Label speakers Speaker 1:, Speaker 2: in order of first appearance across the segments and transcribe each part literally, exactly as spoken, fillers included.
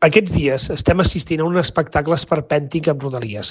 Speaker 1: Aquests dies estem assistint a un espectacle esperpèntic amb Rodalies.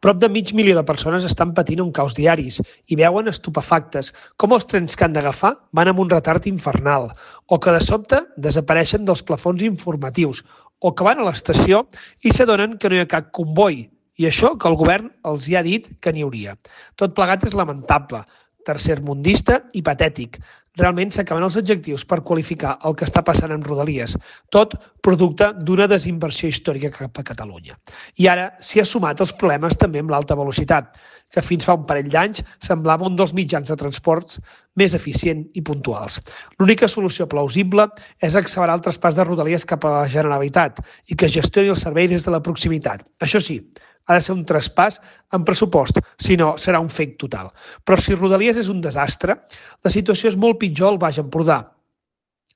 Speaker 1: Prop de mig milió de persones estan patint un caos diaris i veuen estupefactes com els trens que han d'agafar van amb un retard infernal, o que de sobte desapareixen dels plafons informatius, o que van a l'estació i s'adonen que no hi ha cap comboi, i això que el govern els hi ha dit que n'hi hauria. Tot plegat és lamentable, tercermundista i patètic. Realment s'acaben els adjectius per qualificar el que està passant amb Rodalies, tot producte d'una desinversió històrica cap a Catalunya. I ara s'hi ha sumat els problemes també amb l'alta velocitat, que fins fa un parell d'anys semblava un dels mitjans de transports més eficient i puntuals. L'única solució plausible és accelerar el traspàs de Rodalies cap a la Generalitat i que gestioni el servei des de la proximitat. Això sí, ha de ser un traspàs amb pressupost, si no serà un fake total. Però si Rodalies és un desastre, la situació és molt pitjor al Baix Empordà.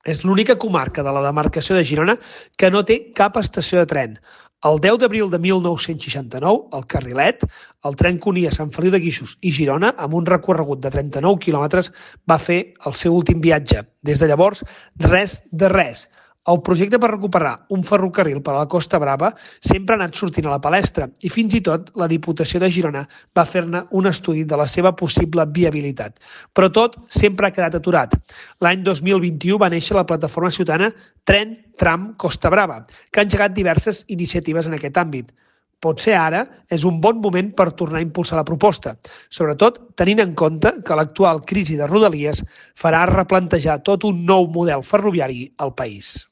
Speaker 1: És l'única comarca de la demarcació de Girona que no té cap estació de tren. El deu d'abril de mil nou-cents seixanta-nou, el Carrilet, el tren que unia Sant Feliu de Guíxols i Girona, amb un recorregut de trenta-nou quilòmetres, va fer el seu últim viatge. Des de llavors, res de res. El projecte per recuperar un ferrocarril per a la Costa Brava sempre ha anat sortint a la palestra i fins i tot la Diputació de Girona va fer-ne un estudi de la seva possible viabilitat. Però tot sempre ha quedat aturat. L'any dos mil vint-i-u va néixer la plataforma ciutadana Tren Tram Costa Brava, que ha engegat diverses iniciatives en aquest àmbit. Potser ara és un bon moment per tornar a impulsar la proposta, sobretot tenint en compte que l'actual crisi de Rodalies farà replantejar tot un nou model ferroviari al país.